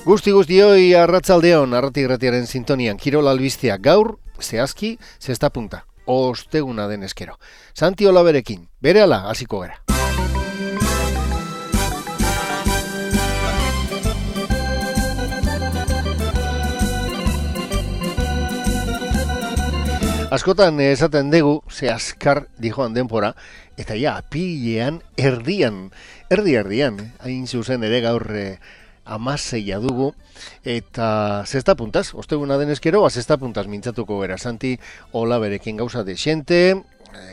Guzti arratzaldeon, arrati-irratiaren sintonian, Kirol albistea gaur, zehazki, zesta punta, osteguna den eskero. Santi Olaberekin, berehala hasiko gara. Askotan esaten dugu, ze askar dijoan denpora, eta ja, apilean erdian, hain zuzen ere gaur amaseia dugu, eta zesta puntaz, osteguna den eskero, zesta puntaz mintzatuko gara. Santi Olaberekin gauza de xente,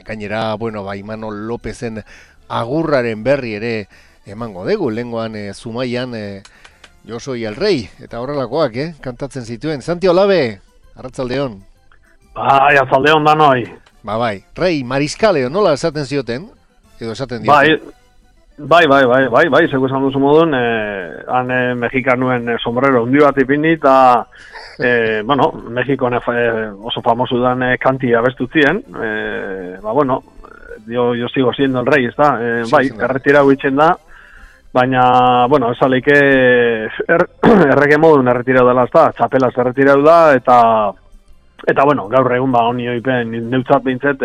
gainera, Imanol Lopezen agurraren berri ere emango dugu, lengoan Zumaian yo soy el rey, eta horrelakoak, kantatzen zituen. Santi Olabe, arratzaldeon. Bai, arratzaldeon da noi. Bai, rei, mariskaleo, nola esaten zioten? Edo esaten dioten? Bai, zeko esan duzu modun, han mexikanuen sombrero hundi bat ipini, eta, Mexikon oso famosu dan kanti abestutzien, yo sigo siendo el rey, ezta? Bai, erretirau itzen da, baina, esaleike errege modun erretirau dela, ezta? Txapelaz erretirau da, eta gaur egun honi oipen neutzat behintzet,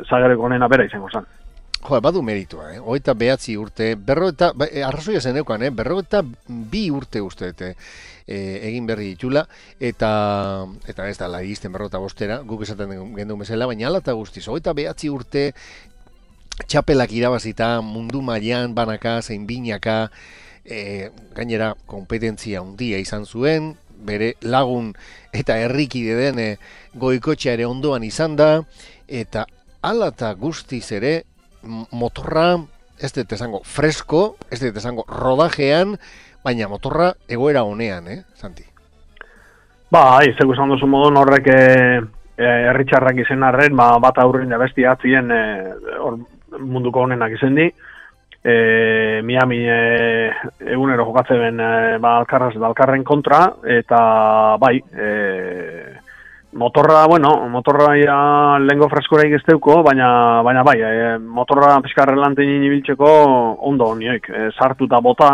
zagareko honena bera izango zen. Badu meritua, hogeita behatzi urte, arrazoia zeneukan, 42 urte uste, egin berri ditula, eta ez da, iristen 45, guk esaten gendu bezala, baina ala eta guztiz, hogeita behatzi urte, txapelak irabazita, mundu mailan banaka, zein binaka, gainera, kompetentzia handia izan zuen, bere lagun eta herrikide den Goikotxea ere ondoan izan da, eta ala eta guztiz ere, motorra, ez dut esango fresko, ez dut esango rodajean, baina motorra egoera honean, Santi? Bai, zeko esan duzu modun horrek herritxarrak izen arren, bat aurrin abesti atzien munduko honenak izen di. Miami egunero jokatzen Alkarren kontra, eta bai, motorra ja lengo freskora ikesteuko, baina bai, motorra pizkarrelanten inibiltzeko ondo honioik, sartu eta bota,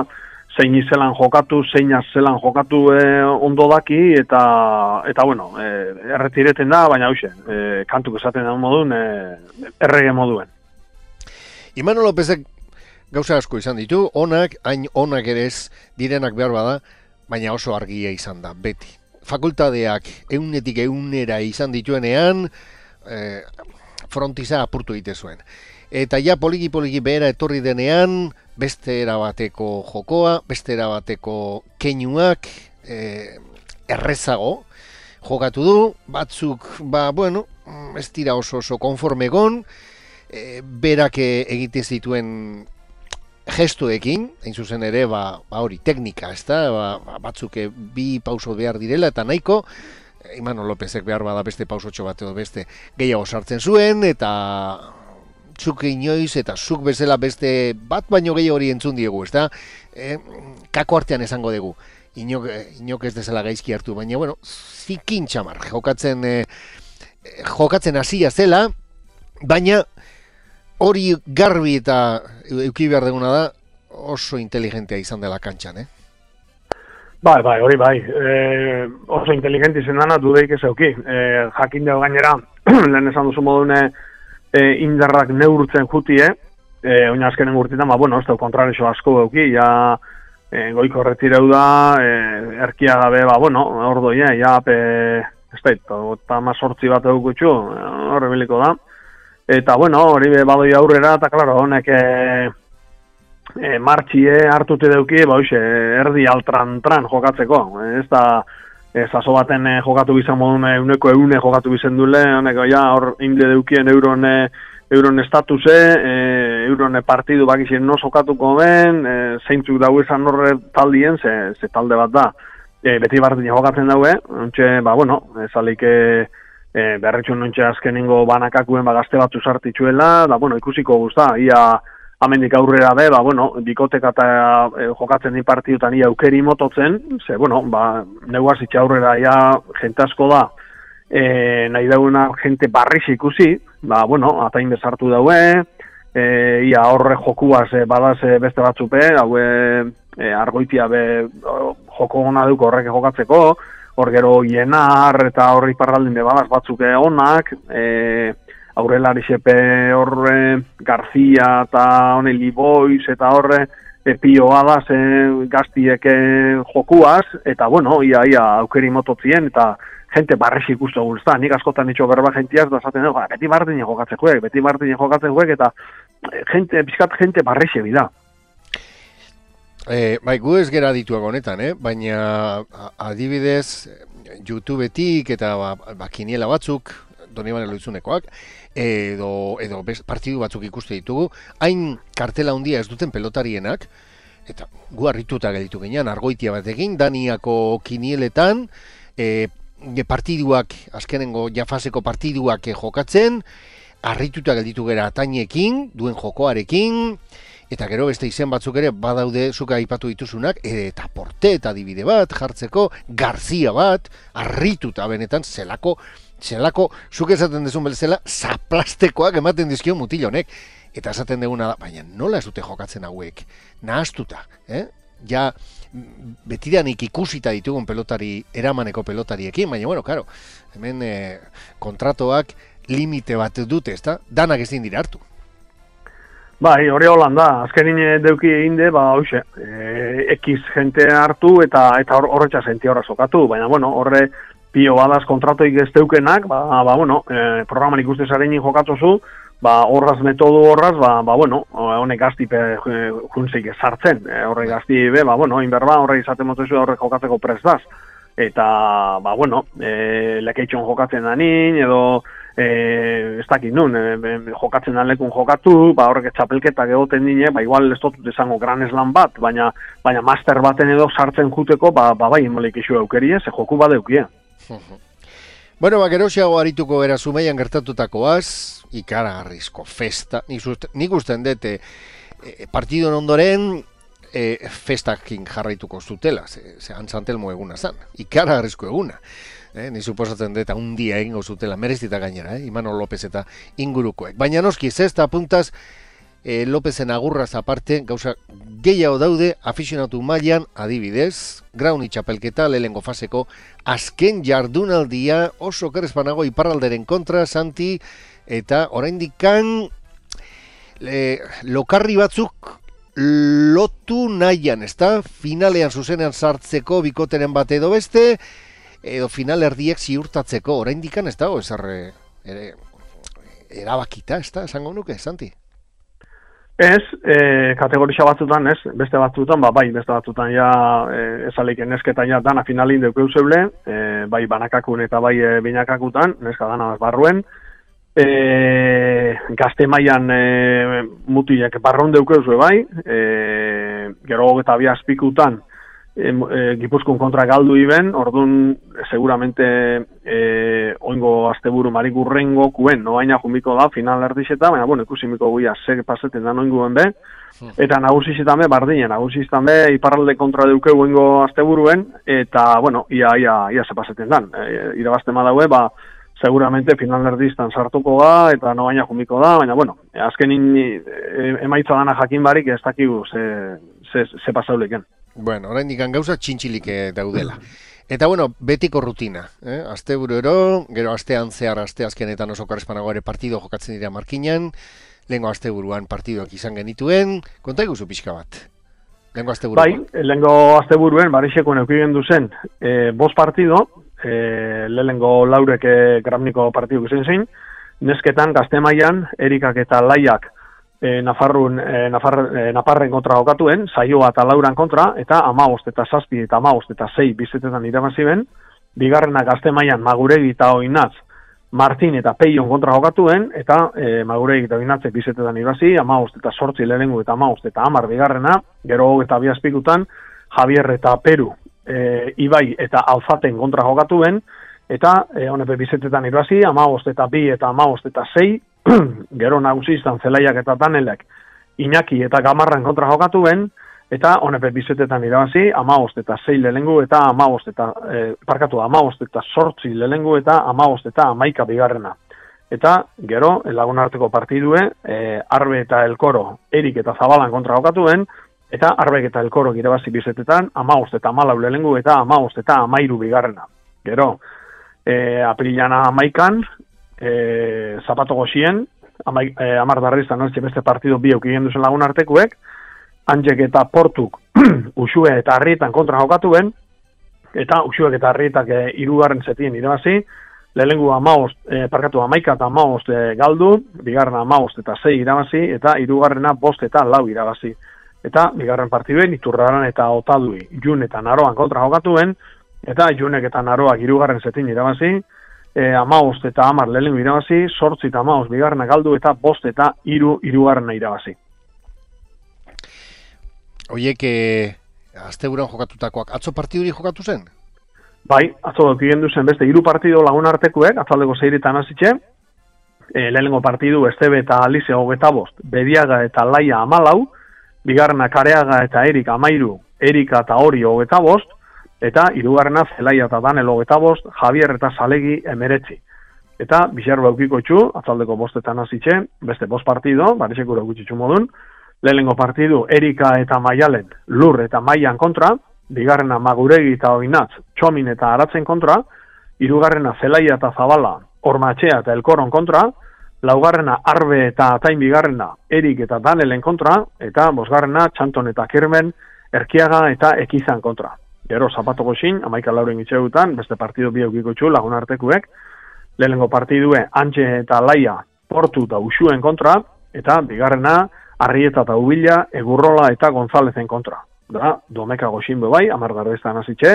zein zelan jokatu, zein zelan jokatu ondo daki, eta erretireten da, baina hoxe, kantuk esaten da modun, errege moduen. Imanol Lopezek gauza asko izan ditu, hain onak ere ez direnak behar bada, baina oso argia izan da, beti. Fakultadeak eunetik eunera izan dituenean, frontiza apurtu egite zuen. Eta ja poliki behera etorri denean, beste erabateko jokoa, beste erabateko keinuak, errezago jokatu du, batzuk, ez dira oso konforme egon, berak egite zituen gestuekin, hain zuzen ere, hori, teknika, ez da, batzuk bi pauso behar direla, eta nahiko, Imanol Lopezek behar bada beste pausotxo bat edo beste gehiago sartzen zuen, eta zuk inoiz, eta zuk bezala beste bat baino gehiago hori entzun diegu, ez da, kako artean esango dugu, inok ez dezala gaizki hartu, baina, zikin txamar, jokatzen hasia zela, baina, hori garbi eta euki behar deguna da, oso inteligentea izan dela kantxan, Bai, hori bai. Oso inteligente izan dana dudeik ez euki. Jakin dago gainera, lehen esan duzu modune indarrak neurtzen jutie, oina azkenen urtitan, ez da kontrarexo asko euki, ja goiko erretireu da, erkia gabe, ordoi, ja, ez da, eta mazortzi bat eukutxu, horre biliko da. Eta, hori badoi aurrera, eta, klaro, honek martxie hartute deuki, erdi altran jokatzeko. Ez da, zazo baten jokatu bizan modun, euneko eune jokatu bizan dule, honek, hor inde deukien euron estatuse, euron partidu bakizien no jokatuko ben, zeintzuk dago izan horre taldien, ze talde bat da. Beti bardin jokatzen daue, ezalik berretxun nontxe azkenengo banakakuen gazte batzu sartitzuela, ikusiko guzta, ia amendik aurrera be, bikoteka eta jokatzen di partidutan ia aukeri mototzen, ze, neguazitxe aurrera ia jente asko da, nahi dauna jente barriz ikusi, atain bezartu daue, ia horre jokuaz badaz beste batzupe, hau Argoitia joko ona duk horrek jokatzeko, hor gero Ienar eta horri parraldin badaz batzuk onak, aurrelari xepe horre García eta hone Libois eta horre Pio badaz gaztiek jokuaz, eta bueno, ia aukeri mototzien, eta gente barrexi ikustu guzta, nik askotan itxo berba jentiaz, da zaten dugu, beti bardine jokatzekoek, eta pixkat gente barrexi bida. Bai, gu ez gera dituak honetan, baina adibidez YouTubetik eta kiniela batzuk, Donibane Loizunekoak, edo partidu batzuk ikuste ditugu, hain kartela handia ez duten pelotarienak, eta gu harrituta gelditu ginean, Argoitia batekin, Daniako kinieletan, partiduak, azkenengo jafaseko partiduak jokatzen, harrituta gelditu gera Atainekin, duen jokoarekin, eta gero beste izen batzuk ere badaude zuka aipatu dituzunak, eta Portet adibide bat jartzeko, Garzia bat, harrituta benetan zelako, zuk esaten dezun bezala, zaplastekoak ematen dizkio mutil honek, eta esaten duguna da, baina nola ez dute jokatzen hauek, nahaztuta, ja betidanik ikusita ditugun pelotari, eramaneko pelotariekin, baina bueno, karo, hemen kontratoak limite bat dute, ezta? Danak ezin dira hartu. Bai, hori holan da, azkenin deuki eginde, hoxe, X jente hartu eta horretxa senti horra sokatu, baina bueno, horre Pio badaz kontratoik ez deukenak, bueno, programan ikuste zarenin jokatzozu, horraz metodu horraz, bueno, honek gaztipe juntzik sartzen, horre gazti be, bueno, inberba, horre izaten motezu horre jokatzeko prestaz. Eta, bueno, lekeitxon jokatzen da nin, edo ez dakit nun, jokatzen da lekun jokatu, horrek txapelketak egoten dine, igual ez dut izango Gran Slam bat, baina master baten edo sartzen juteko, bai, inmoleik isu eukerie, ze joku badeukie. Bueno, geroxiago arituko era Zumeian gertatutakoaz, ikaragarrizko festa, nik usten dut partidon ondoren festakin jarraituko zutela, ze Antsantelmo eguna zan, ikaragarrizko eguna. Ni suposatzen dut un dia egingo zutela, merezita gainera, Imanol López eta ingurukoek. Baina noski, zesta puntaz, Lópezen agurraz aparte, gauza gehiago daude aficionatu mailan adibidez, Grauni txapelketa lehengo faseko azken jardunaldia oso kerrezpanago iparralderen kontra, Santi, eta oraindikan lokarri batzuk lotu nahian, ezta? Finalean zuzenean sartzeko bikoteren bat edo beste, edo final erdiek ziurtatzeko, oraindikan ez dago ezarre erabakita, ezta? Esango nuke, Santi? Ez, kategorisa batzutan, ez, beste batzutan, bai, beste batzutan ja, ezaleik nesketan ja dana finalin deukeu zeule, bai banakakun eta bai binakakutan, neska dana barruen, gazte mailan mutilek barron deukeu zue bai, gero eta bi azpikutan, Gipuzkoan kontra galdu iben, orduan seguramente oingo asteburu marikurrengo kuen, no baina jumiko da final erdixeta, baina bueno, ikusimiko guia seg paseten da noinguen be, eta nagusixetan be, bardinen, nagusixetan be, iparralde kontra deukeu oingo asteburuen, eta bueno, ia se paseten dan, irabazte madaue, seguramente final erdiztan sartuko da, eta no baina jumiko da, baina bueno, azkenin emaitza dana jakin barik ez dakigu ze pasauleken. Bueno, oraindik gauza txintxilik daudela. Eta bueno, betiko rutina, asteburuero, gero astean zehar asteazkenetan oso karrespanago ere partido jokatzen dira markinan, lehengo asteburuan partidoak izan genituen, konta iguzu pixka bat? Lehengo asteburuan. Bai, lehengo asteburuen, barixeko neukigen duzen, 5 partido, lehengo laurek Gramniko partidu izen zein, nesketan gazte mailan, Erikak eta Laiak Nafarren kontra jokatuen, Saioa eta Lauran kontra, eta 15 eta 7 eta 15 eta 6 bizetetan irabaziben, bigarrena gazte mailan Maguregi eta Oinatz, Martin eta Peion kontra jokatuen, eta Maguregi eta Oinatzek bizetetan irabazi, 15 eta 8 lehenengo eta 15 eta 10 bigarrena, gero eta bi azpikutan, Javier eta Peru, Ibai eta Alzaten kontra jokatuen, eta honepe bizetetan irabazi, 15 eta 2 eta 15 eta 6, gero nagusi izan Zelaiak eta Danelek Iñaki eta Gamarran kontra jokatuen, eta honepe bizetetan irabazi, 15 eta 6 lehenengo eta 15 eta 8 lehenengo eta 15 eta 11 bigarrena. eta gero, lagun arteko partidue, Arbe eta Elkoro, Erik eta Zabalan kontra jokatuen, eta Arbek eta Elkoro irabazi bizetetan, 15 eta 14 lehenengo eta 15 eta 13 bigarrena. Gero, aprilana 11an, Zapato Goxien, 10 darriztan beste partido bi eukien duzen lagun artekuek, Anjek eta Portuk Usue eta Arrietan kontra jokatuen, eta Usuek eta Arrietak hirugarren setien irabazi, lehenengo 11 eta 15 galdu, bigarrena 15 eta 6 irabazi, eta hirugarrena 5 eta 4 irabazi. Eta bigarren partiduen Iturraran eta Otadui, Jun eta Naroan kontra jokatuen, eta Junek eta Naroak hirugarren setien irabazi, 15 eta 10 lehenengo irabazi, 8 eta 15 bigarrena galdu, eta 5 eta 3 hirugarrena irabazi. Oiek, asteburuan jokatutakoak, atzo partiduri jokatu zen? Bai, atzo dukien duzen beste 3 partido lagun artekuek, atzaldeko 6etan hasitxe, lehenengo partidu Estebe eta Alize 25, Bediaga eta Laia 14, bigarrena Kareaga eta Erik 13, Erika eta Ori 25, eta hirugarrena Zelaia eta Danel 25, Javier eta Salegi 19. Eta bizarro eukiko txu, atzaldeko 5etan hasitxe, beste 5 partido, barizekura eukitxu modun, lehenengo partidu Erika eta Maialen, Lur eta Maian kontra, bigarrena Maguregi eta Oinatz, Txomin eta Aratzen kontra, hirugarrena Zelaia eta Zabala, Ormatxea eta Elkoron kontra, laugarrena Arbe eta Atain bigarrena, Erik eta Danelen kontra, eta bosgarrena Txanton eta Kirmen, Erkiaga eta Ekizan kontra. Gero, Zapato Goxin, 11 lauren itxeutan, beste partidu bi eukiko txu, lagun artekuek, lehenengo partidue Antxe eta Laia, Portu eta Usuen kontra, eta bigarrena Arrieta eta Ubila, Egurrola eta Gonzalezen kontra. Da, Domeka Goxin bai, 10 darreztan hasitxe,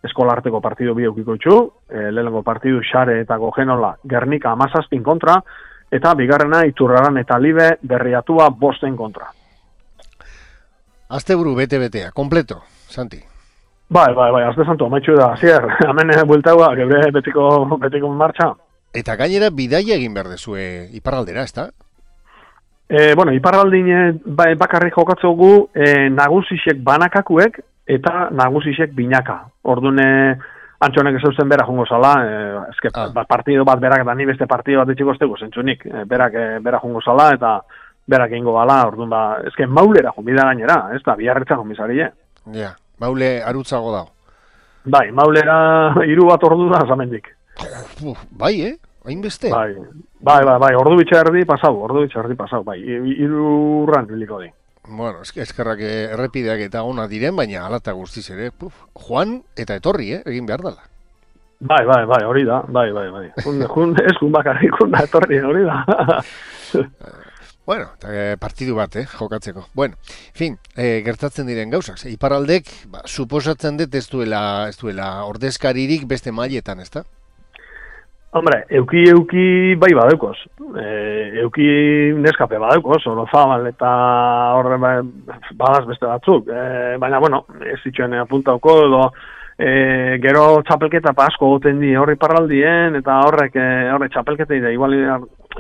eskola arteko partidu bi eukiko txu, lehenengo partidu Xare eta Gogenola, Gernika 17 kontra, eta bigarrena Iturraran eta Libe, Berriatua 5 kontra. Asteburu bete-betea, kompleto, Santi. Bai, azte santu, amaitxu da, zier, hemen bueltaua, gebre betiko martxa. Eta gainera, bidaia egin behar dezue iparraldera, ezta? Bueno, iparraldin bakarrik jokatzugu nagusisek banakakuek eta nagusisek binaka. Orduan, antxonek ezauzen berak jungo zala, partido bat berak da ni beste partido bat etxiko estegu zentzunik. Berak jungo zala eta berak egingo bala, orduan maulera jumbida gainera, ez da, biarretza jumbizarie. Ja, maule arutzago dago. Bai, maulera 3 bat ordu da zamendik. Bai, hainbeste? Bai, ordu bitxardi pasau, bai, 3 urran biliko di. Bueno, eskerrak errepideak eta ona diren, baina alata guztiz ere, joan eta etorri, egin behar dela. Bai, hori da, bai. Ez jun bakarrik, jun etorri, hori da. Bueno, partidu bat, jokatzeko. Bueno, fin, gertatzen diren gauzak. Iparraldek, suposatzen dut ez duela ordezkaririk beste mailetan, ezta? Hombre, euki bai badeukoz. Euki neskape badeukoz, Orozabal eta horre badaz beste batzuk. Baina, bueno, ez zituen apuntauko edo gero txapelketa asko goten di horri parraldien, eta horrek txapelketa da igual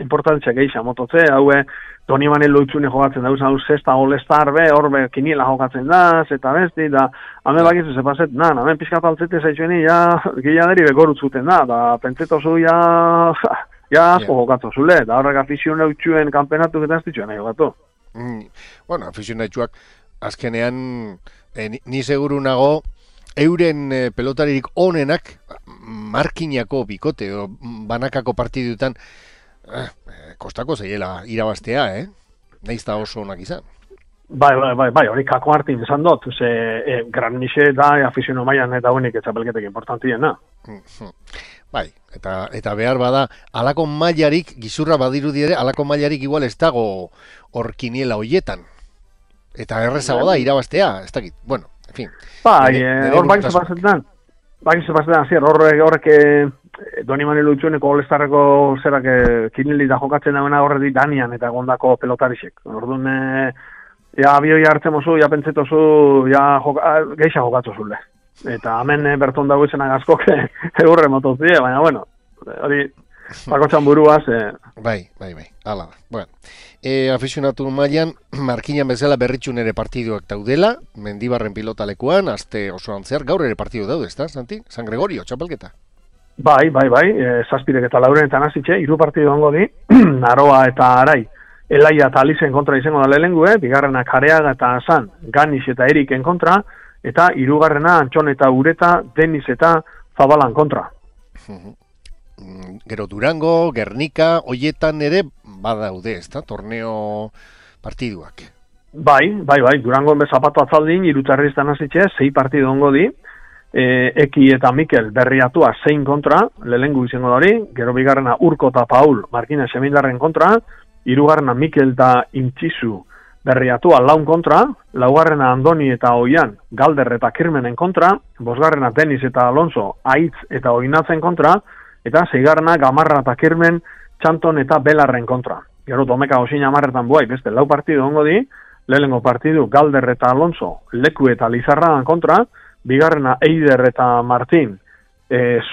importantzia geixa mototze, haue Doni Manelo itzune jokatzen dauz, hau zesta All-Star horbe kiniela jokatzen daz, eta besti, da, hame bakizu zepaset, hemen pizkat altzete zaitzueni, gila deri bekorut zuten da pentsetozu asko jokatu zule, da horrek afizion eutxuen kampenatuk eta ez dituen jokatu. Bueno, afizion eutxuak, azkenean, ni seguru nago, euren pelotaririk onenak, markinako bikote, o banakako partidutan, kostako zeiela irabaztea, nahiz da oso onak izan. Bai, hori kako hartin esan dut, Gran Mixe da afiziono maian eta honik etxapelketek importantiena. Bai, eta behar bada, alako mailarik, gizurra badiruди ere, alako mailarik igual ez dago hor kiniela hoietan. Eta errezago da irabaztea, ez dakit, bueno, en fin. Bai, hor bakizu pasetan, horrek Doni Manelo itxuneko All-Starreko zerak kinili da jokatzen dagoena horreti Danian eta gondako pelotarisek. Orduan, abioi hartzen mozu, pentsetozu, geixa jokatzu zule. Eta hemen berton dago izena gazkok eurre motozie, baina, bueno, hori bakotxan buruaz. Bai, hala da. Bueno, afizionatu mailan, markinan bezala berritxun ere partiduak daudela, Mendibarren pilotalekuan, aste osoan zer, gaur ere partidu daude, ezta, Santi? San Gregorio, txapelketa. Bai, zazpirek eta laurenetan hasitxe, 3 partidu ongo di, Naroa eta Arai, Elaia eta Alizen kontra izango da lehengue, bigarrena Kareaga eta Asan, Ganis eta Eriken kontra, eta 3. Antxon eta Ureta, Denis eta Zabalan kontra. Gero Durango, Gernika, hoietan ere badaude, ezta, torneo partiduak. Bai, Durango bezapatu atzaldin, 3 hasitxe, 6 partidu ongo di, Eki eta Mikel Berriatua 6 kontra, lehengu izango da hori, gero bigarrena Urko eta Paul Markina Semindarren kontra, 3. Mikel eta Intxizu Berriatua 4 kontra, 4. Andoni eta Oian Galder eta Kirmenen kontra, 5. Denis eta Alonso Aitz eta Oinatzen kontra, eta 6. Gamarra eta Kirmen Txanton eta Belarren kontra. Gero Domeka Osin Amarretan buai, beste 4 partidu ongo di, lehengo partidu Galder eta Alonso Leku eta Lizarradan kontra, bigarrena Eider eta Martin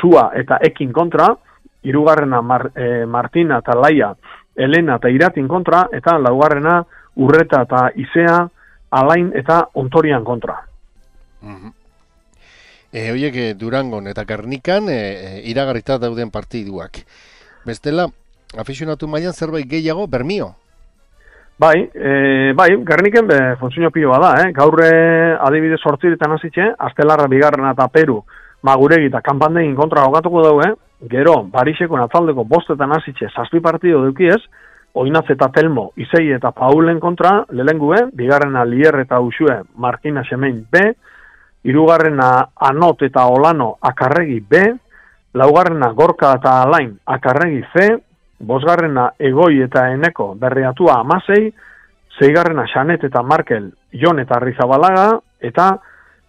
Zua eta Ekin kontra, 3. Martina eta Laia Elena eta Iratin kontra, eta 4. Urreta eta Izea Alain eta Ontorian kontra. Horiek Durangon eta Gernikan iragarrita dauden partiduak. Bestela, afizionatu mailan zerbait gehiago, Bermio? Bai, Gerniken funtzio pioa da, gaur adibidez 8 hasitxe, Astelarra bigarrena eta Peru, Maguregi eta Kanpandegin kontra jokatuko daue, gero Bariseko atzaldeko 5 hasitxe 7 partidu dukiez, Oinatz eta Telmo, Izei eta Paulen kontra, lehengue, bigarrena Lier eta Usue, Markina Semein B, 3. Anot eta Olano, Akarregi B, 4. Gorka eta Alain, Akarregi C, 5. Egoi eta Eneko Berriatua 16, 6. Xanet eta Markel Jon eta Rizabalaga, eta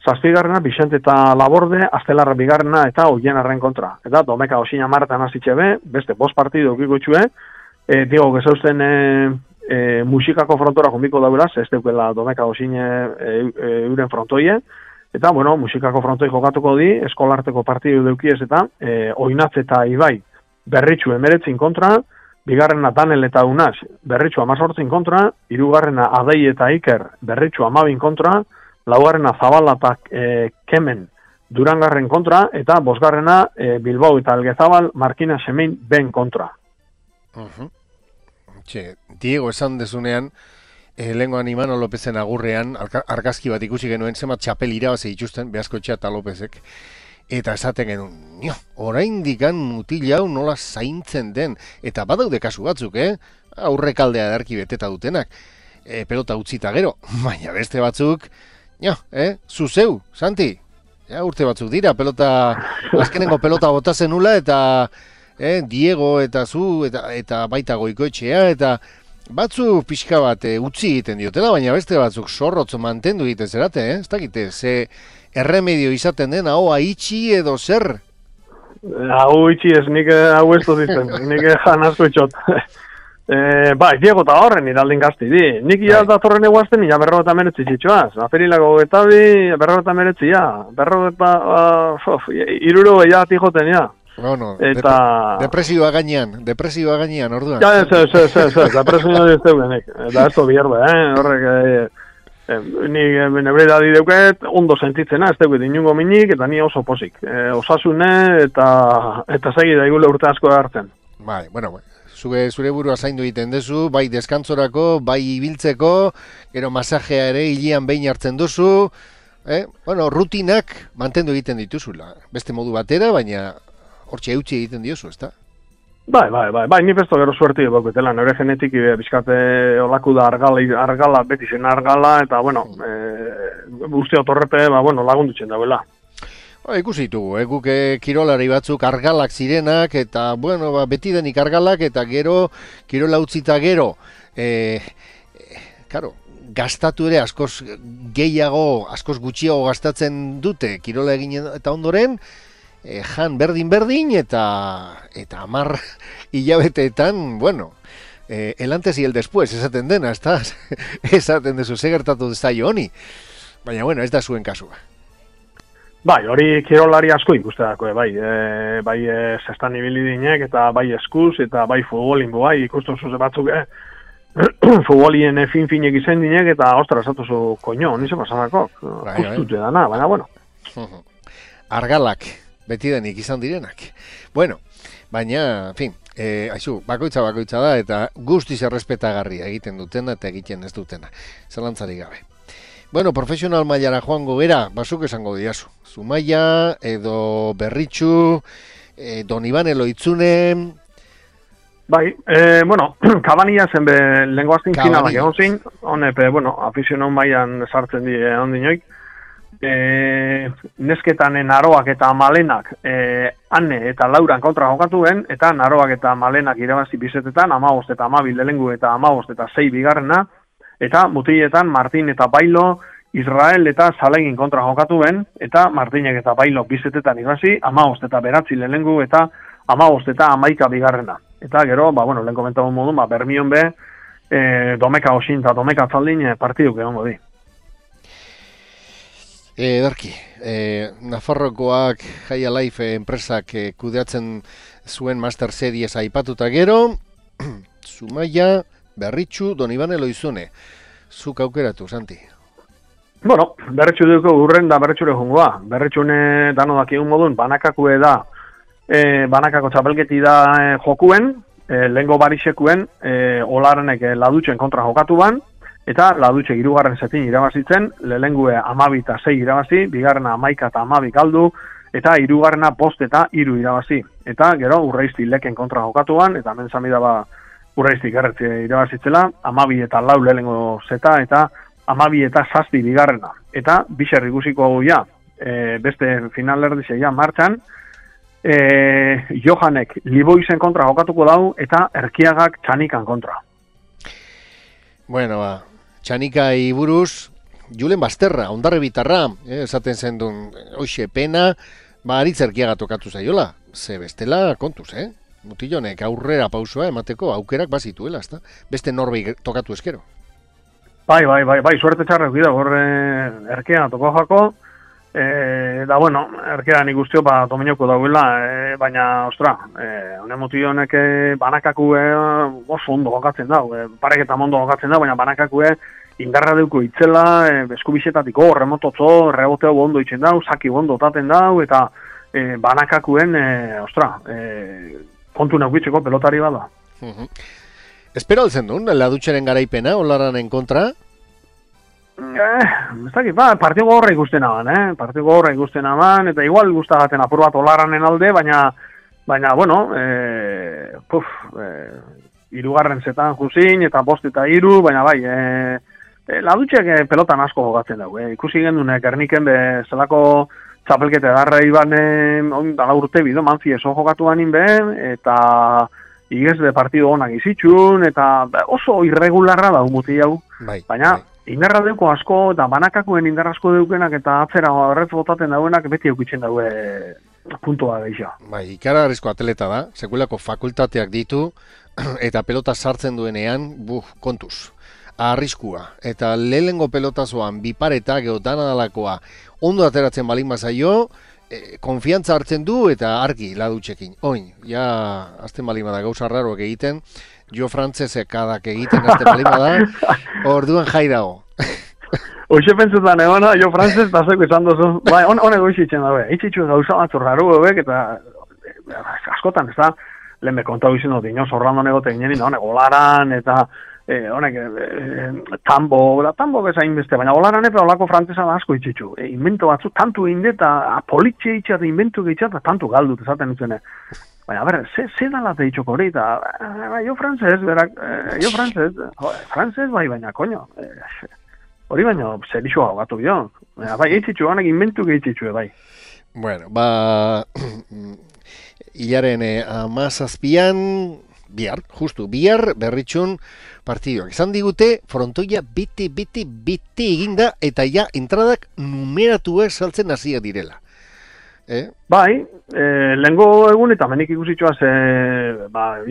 7. Bixente eta Laborde, Astelarra bigarrena eta Oienarren kontra. Eta Domeka Osina Martan hasitxe be, beste 5 partidu okiko txue, digo, gezausten musikako frontora jundiko dauraz, ez deukela Domeka Osine euren frontoie, eta, bueno, musikako frontoi jokatuko di, eskolarteko partidu deukiez eta Oinatz eta Ibai Berritxu 19 kontra, bigarrena Danel eta Unas Berritxu 18 kontra, 3. Adei eta Iker Berritxu 12 kontra, 4. Zabala eta Kemen Durangarren kontra, eta 5. Bilbao eta Elgezabal Markina Semein Ben kontra. Diego esan dezunean, lehengoan Imano Lopezen agurrean, argazki bat ikusi genuen, zenbat txapel irabazi dituzten, Beazkotxea eta Lopezek, eta esaten genuen, oraindikan mutil hau nola zaintzen den, eta badaude kasu batzuk, aurrekaldea edarki beteta dutenak, pelota utzita gero, baina beste batzuk, zuzeu, Santi, urte batzuk dira, azkenengo pelota bota zenula, eta Diego eta zu, eta baita Goikoetxea, eta batzu pixka bat utzi egiten diotela, baina beste batzuk zorrotzo mantendu egiten zerate, ez dakite, ze erremedio izaten den, hau itxi edo zer? Hau itxi ez, nik hau ez duziten, nik jan asko itxot. Bai, Diego eta horren iraldin gazti di. Nik ia datorren eguazten, ia 59 zitxoaz. Aperilako etabi, 59 ja. 60 ja tijoten, ja. No, depresioa gainean, orduan. Ja, ez, depresioa ez deugenek. Eta ez to bierde, horrek... Ni nebreira dideuket, ondo sentitzena, ez deuket inungo minik, eta ni oso posik. Osasune eta segi daigule urte asko hartzen. Bai, bueno, zure burua zaindu egiten dezu, bai deskantzorako, bai ibiltzeko, gero masajea ere hilian behin hartzen duzu, rutinak mantendu egiten dituzula. Beste modu batera, baina hortxe eutxi egiten diozu, ezta? Bai, ni besto gero suerti baketela, nire genetiki bizkate olaku da argala, beti zen argala, eta, bueno, uste otorrepe, lagundutzen dauela. Ikusi ditugu, guk kirolari batzuk argalak zirenak, eta, beti denik argalak, eta gero, kirola utzita gero, gastatu ere askoz gehiago, askoz gutxiago gastatzen dute kirola egin eta ondoren, jan berdin eta 10 hilabeteetan, el antes y el después, esaten dena, esaten dezu segertatu dezaio honi, baina, ez da zuen kasua. Bai, hori kirolari asko ikustedako, bai zestan ibili dinek, eta bai eskuz, eta bai futbolin, bai ikustu zuze batzuk, futbolien fin-finek izen dinek, eta ostras, atuzu koño, nize pasadako, justute dana, baina, Argalak, betidanik izan direnak. Bueno, baina, en fin, aizu, bakoitza da, eta guztiz errespetagarria egiten dutena eta egiten ez dutena. Zalantzari gabe. Bueno, profesional mailara joango gera, basuk esango diazu. Zumaia, edo Berritxu, Don Ibane Loitzune... Bai, bueno, Kabania zen lehenko aztin finalak egon zin, honepe, bueno, afizionon mailan sartzen di ondinoik. Nesketan Naroak eta Malenak Anne eta Lauran kontra jokatuen, eta Naroak eta Malenak irabazi bizetetan, 15 eta 12 lehengu eta 15 eta 6 bigarrena, eta mutiletan Martin eta Bailo, Israel eta Zalegin kontra jokatuen, eta Martinek eta Bailo bizetetan irabazi, 15 eta 9 lehengu eta 15 eta 11 bigarrena. Eta gero, bueno, lehen komentagun modun, Bermion be, Domeka Osin eta Domeka Zaldin partiduk egongo di. Ederki, Nafarrokoak Jai Alive enpresak kudeatzen zuen Master Series aipatuta gero, Zumaia, Berritxu, Don Ibane Loizune. Zuk aukeratu, Santi? Bueno, Berritxu duko urren da Berritxure jungoa. Berritxune dano dakigun modun, banakakue da, banakako txapelketi da jokuen, lehengo barixekuen, Olarenek Ladutxen kontra jokatu ban, eta Ladutxek 3. setin irabazitzen, lehengue 12 eta 6 irabazi, bigarrena 11 eta 12 galdu, eta 3. 5 eta 3 irabazi. Eta gero Urreizti Leken kontra jokatu ban, eta hemen zamida Urreizti gerretze irabazitzela, 12 eta 4 lehengo zeta, eta 12 eta 7 bigarrena. Eta bixer ikusiko hau ja, beste finalerdize ja martxan, Johanek Liboizen kontra jokatuko dau, eta Erkiagak Txanikan kontra. Bueno, Txanikai buruz, Julen Basterra, ondarre bitarra, esaten zen duen, hoxe pena, aritz Erkiaga tokatu zaiola, ze bestela kontuz, Mutilonek aurrera pausua emateko aukerak bazituela, ezta? Beste norbei tokatu eskero. Bai, suerte txarrek bida, gorre Erkiaga toko jako, da bueno, Erkea nik usteo dominoko dauela, baina, ostra, honen motillonek banakakue oso ondo jokatzen dau, pareketan ondo jokatzen dau, baina banakakue indarra deuko itzela, eskubixetatiko, remototzo, reboteo ondo itzen dau, saki ondo taten dau, eta banakakuen, ostra, kontu neukitzeko pelotari bada. Espero altzen duen, Ladutxeren garaipena, Olaranen kontra? Ez dakit, partio gogorra ikusten aban, eta igual guztagaten apur bat Olaranen alde, baina bueno, 3. zetan juzin, eta 5 eta 3, baina bai, Ladutxek pelotan asko jokatzen dugu, ikusi gendune, Gerniken zelako txapelkete darra iban, dala urte bido, manzi eso jokatu banin be, eta igez de partido onak izitxun, eta oso irregularra da umuti hau, baina indarra deuko asko, eta banakakuen indar asko deukenak, eta atzera horretz botaten dauenak, beti eukitzen daue puntua geixo. Bai, ikaragarrizko atleta da, sekulako fakultateak ditu, eta pelota sartzen duenean, kontuz, arriskua. Eta lehengo pelotazoan, biparetak, dana dalakoa, ondo ateratzen balin bazaio, konfiantza hartzen du, eta argi Ladutxekin. Oin, ja, azten balin bada gauza raroak egiten, jo frantzesekadak egiten azten balin bada, orduan jai dago. Hoxe pentsutan egon, jo frantzes eta zeko izan dozu. Bai, honek goizitzen dago, itxitxu gauza bat zorraru bebek, eta askotan, ez da, lehen bekontau izan dut, inoz horrando negoten nien, honek Olaran, eta honek tambo bezain beste, baina Olaran epe olako frantzesa da asko itxitxu. Invento batzu, tantu egin eta politxe itxat, inventu gehiatzat, eta tantu galdut esaten dutzen. Baina, ber, ze dala te itxoko hori, eta jo frantzes, berak, frantzes bai, baina, koño, hori baina, zer iso gatu bio. Bai, eitzitxu, honek inventu gehiatzitxu, bai. Bueno, hilaren 17an, bihar Berritxun partidoak. Esan digute, frontoia bete eginda, eta ja, entradak numeratuak saltzen hasiak direla. Bai, lehengo egun eta menik ikusitxoaz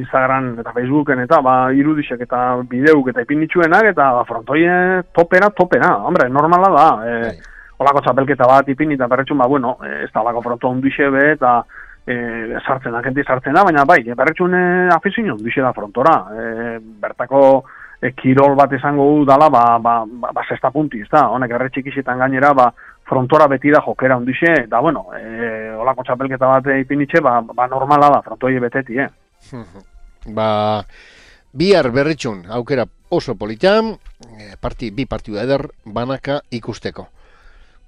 Instagram eta Facebooken eta irudixek eta bideuk eta ipinitxuenak eta frontoie topera, hombre, normala da. Olako txapelketa bat ipin eta Berritxun, bueno, ez da olako fronto ondixe be eta sartzen da, baina bai, Berritxun afizio ondixe da frontora. Bertako kirol bat esango dala, sexta punti, ez da, honek erretxikisetan gainera, frontora beti da jokera ondixe, da bueno, olako txapelketa bat ipinitxe, ba normala da, frontoi beteti, Ba, bihar berritxun, aukera oso politan, bi partidu eder banaka ikusteko.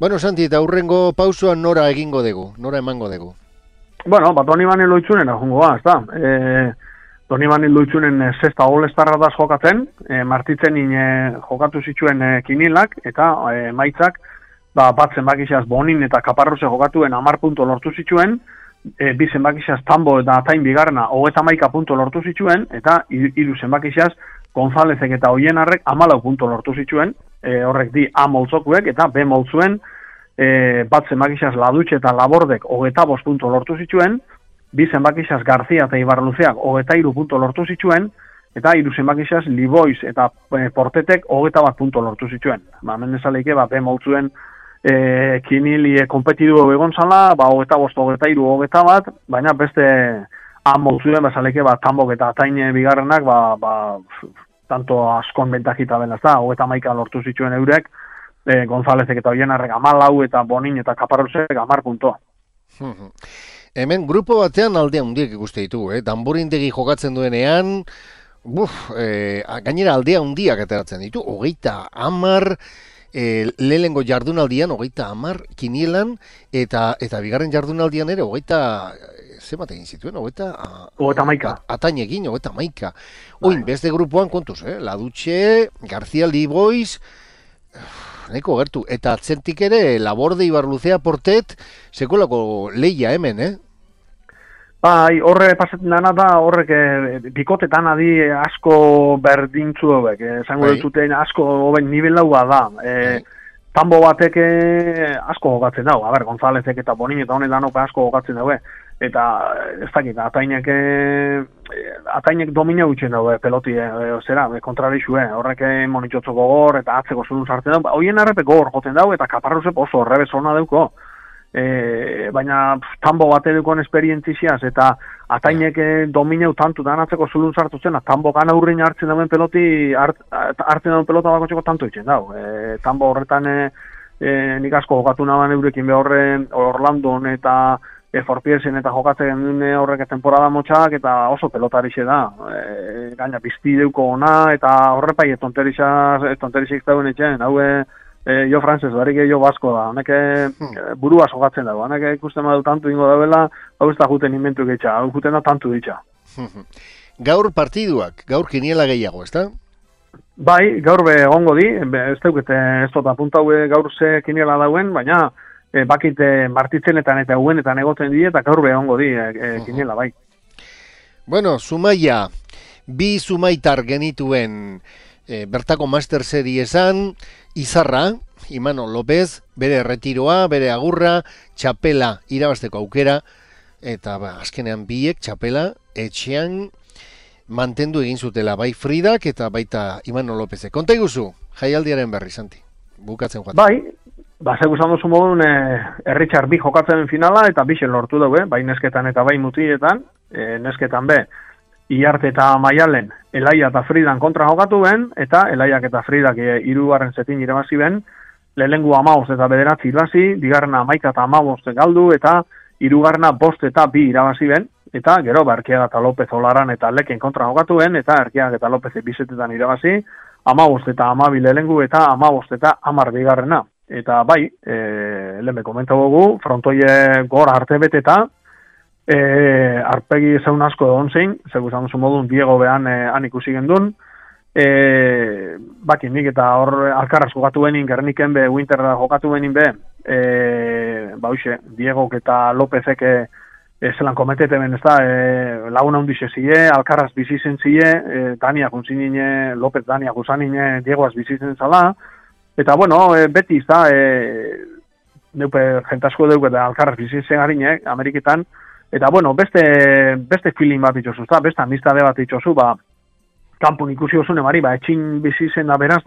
Bueno, Santi, eta hurrengo pausua nora egingo dugu, nora emango dugu? Bueno, Doni Bani Loitzunen jungo ez da. Doni Bani Loitzunen sexta all-starra jokatzen, martitzen jokatu zituen kinilak, eta maitzak, bat zenbakixaz Bonin eta Kaparrose jokatuen 10 punto lortu zituen, bi zenbakixaz Tambo eta Atain bigarrena 31 punto lortu zituen, eta hiru zenbakixaz Gonzalezek eta Oienarrek 14 punto lortu zituen, horrek di A moltzokuek eta B moltzuen, bat zenbakixaz Ladutxe eta Labordek 25 punto lortu zituen, bi zenbakixaz Garzia eta Ibarluzeak 23 punto lortu zituen, eta hiru zenbakixaz Liboiz eta Portetek 21 punto lortu zituen. Mendezaleike, B moltzuen kinili kompetidu egon zala, 25, 23, 21, baina beste A moltzuen, bazaleke, Tambok eta Atain bigarrenak, tanto askon bentakita dela, ez da, 31 lortu zituen eurek, Gonzalezek eta Oienarrek 14 eta Bonin eta Kaparrosek 10 punto. Hemen grupo batean alde handiak ikuste ditu, Danborindegi jokatzen duenean, gainera aldea handiak ateratzen ditu, 30 lehenengo jardunaldian 30 kinielan, eta bigarren jardunaldian ere 30 zenbat egin zituen, 31. Atainekin, 31. Oin, beste grupoan kontuz, Ladutxe, Garzia, Liboiz, nahiko gertu, eta atzentik ere Laborde, Ibarluzea, Portet, sekolako leia hemen, Bai, horre pasatzen dana da, horrek bikotetan adi asko berdintzu hauek, esango dututen asko hoben nivelaua da. Tambo batek asko jokatzen dago, Gonzalezek eta Bonin eta honetan asko jokatzen dago, eta ez dakit, atainek domina gutxen dago peloti, kontrarixue, horrek monitxotzo gogor eta atzeko zurun sartzen dago, hoien arrepe gogor joten dago eta Kaparrosep oso horrebe zona dauko. Baina Tambo bat edukon esperientziaz eta atainek domineu tantu danatzeko zulun sartu zen, Tambo gana hurrin hartzen dauen peloti, hartzen dauen pelota bakotxeko tanto itzen dago. Tambo horretan nik asko jokatu naban eurekin behorren Orlandon eta Forpiesen eta jokatzen dune horrek temporada motxak eta oso pelotarixe da. Gaina bizti deuko ona eta horrepai tonterixek dauen etxen, jo francez, barik jo basko da, honek burua jokatzen dago, honek ikusten badu tantu ingo dauela, hau ez da juten inventu getxa, hau juten da tantu ditxa. Gaur partiduak, gaur kiniela gehiago, ez da? Bai, gaur egongo di, ez daukete ez dut apunta gaur ze kiniela dauen, baina bakit martitzenetan eta huenetan egotzen di, eta gaur egongo di kiniela, bai. Bueno, Zumaia, bi Zumaitar genituen bertako Master Seriesan, Izarra, Imanol López, bere retiroa, bere agurra, txapela irabazteko aukera, eta azkenean biek txapela etxean mantendu egin zutela, bai Fridak eta baita Imanol Lópezek. Konta iguzu, jaialdiaren berri, Santi, bukatzen joaten. Bai, zegu zan duzu modun Erritxar bi jokatzen finala, eta bixen lortu dugu, bai nesketan eta bai mutietan, nesketan be, Iarte eta Maialen, Elaia eta Fridan kontra jokatu ben, eta Elaiak eta Fridak 3. setin irabazi ben, lehenengo 15 eta 9 irabazi, bigarrena 11 eta 15 galdu, eta 3. 5 eta 2 irabazi ben, eta gero Erkiaga eta López Olaran eta Leken kontra jokatu ben, eta Erkiaga eta López 2 irabazi, 15 eta 12 lehenengo eta 15 eta 10 bigarrena. Eta bai, lehen komentagogu, frontoie gora arte beteta, arpegi zaun asko egon zein, zegu zan duzu modun Diego behan han ikusi gendun, bakin nik eta hor Alkarraz jokatu benin, Gerniken be, Winterra jokatu benin be, Diego eta Lópezek zelan kometete ben ez da, laguna hundixe zile, Alkarraz bizitzen zile, Daniak unzinine, López Daniak usanine, Diegoaz bizitzen zala, eta bueno, beti ez da, neupe jentasko deuk eta Alkarraz bizitzen harinek, Ameriketan, eta bueno, beste feeling bat itxosu, beste amistade bat itxosu, kanpun ikusi osune mari, etxin bizi zen da beraz,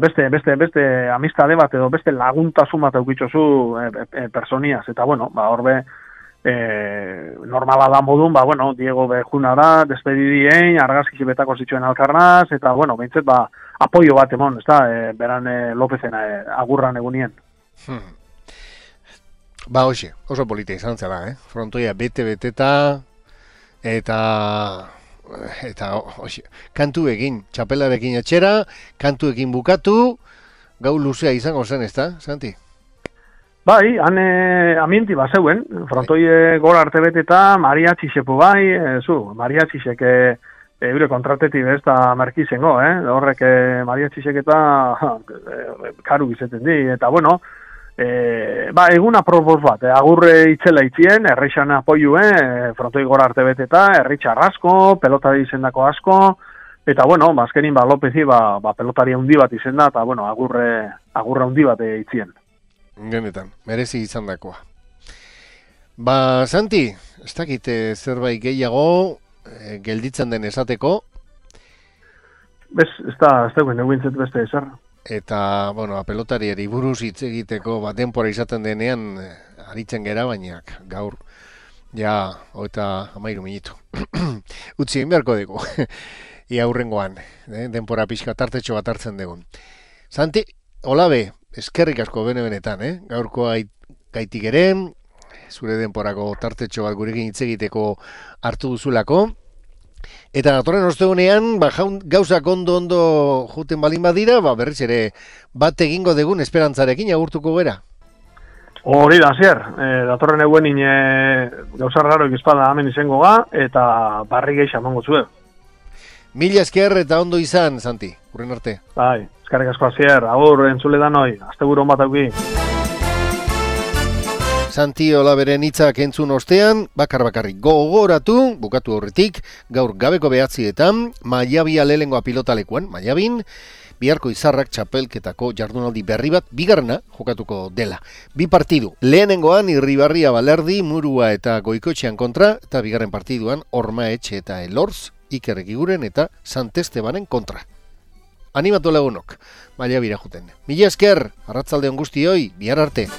beste amistade bat edo beste laguntasun bat eukitxosu personiaz, eta bueno, horbe normala da modun, Diego Bejunara, despedidien, argazki betako zituen Alkarraz, eta bueno, behintzet, apoio bat emon, ez da, beran Lopezen agurran egunien. Ba, hoxe, oso polita izan zela, Frontoia bete-beteta, eta hoxe, kantu egin, txapelarekin etxera, kantu egin bukatu, gau luzea izango zen, ez da, Santi? Bai, han amienti bazeuen, frontoi gora arte beteta, mariatxixepu bai, mariatxixek eure kontratetik ez da merkizengo, horrek mariatxixek eta karu bizeten di, eta bueno, eguna propos bat, agurre itzela itzien, erreixan apoiue, frontoi gora arte beteta, erritxar asko, pelotari izendako asko, eta bueno, azkenin Lopezi pelotari handi bat izenda, eta bueno, agurre handi bat itzien. Genetan, merezi izan dakoa. Ba, Santi, ez dakite zerbait gehiago gelditzen den esateko? Ez da guintzet beste ezer. Eta, bueno, pelotariari buruz hitz egiteko denpora izaten denean aritzen gera, baina gaur ja 13 minutu. Utzi egin beharko dugu. Ia hurrengoan, denpora pixka tartetxo bat hartzen dugun. Santi, Olabe, eskerrik asko benetan, gaurko gaitik ere, zure denporako tartetxo bat gurekin hitz egiteko hartu duzulako. Eta datorren ostegunean, gauzak ondo juten balin badira, berriz ere bat egingo dugun esperantzarekin agurtuko gera. Hori da, zier, datorren eguen gauzar raro ikizpada hemen izango ga, eta barri gehiago emango zuen. Mila esker eta ondo izan, Santi, urren arte. Bai, eskerrik asko zier, agur entzule da noi, asteburu on bat auki. Santi Olaberen hitzak entzun ostean, bakarrik gogoratu, bukatu horretik, gaur gabeko 9:00 Maiabia lehenengoa pilotalekuan, Maiabin, biharko izarrak txapelketako jardunaldi berri bat, bigarrena jokatuko dela. 2 partidu, lehenengoan Irribarria Balerdi, Murua eta Goikotxean kontra, eta bigarren partiduan Ormaetxe eta Elorz, Iker Egiguren eta Santestebanen kontra. Animatu lagunok, Maiabira juten. Mila esker, arratzalde on guztioi, bihar arte.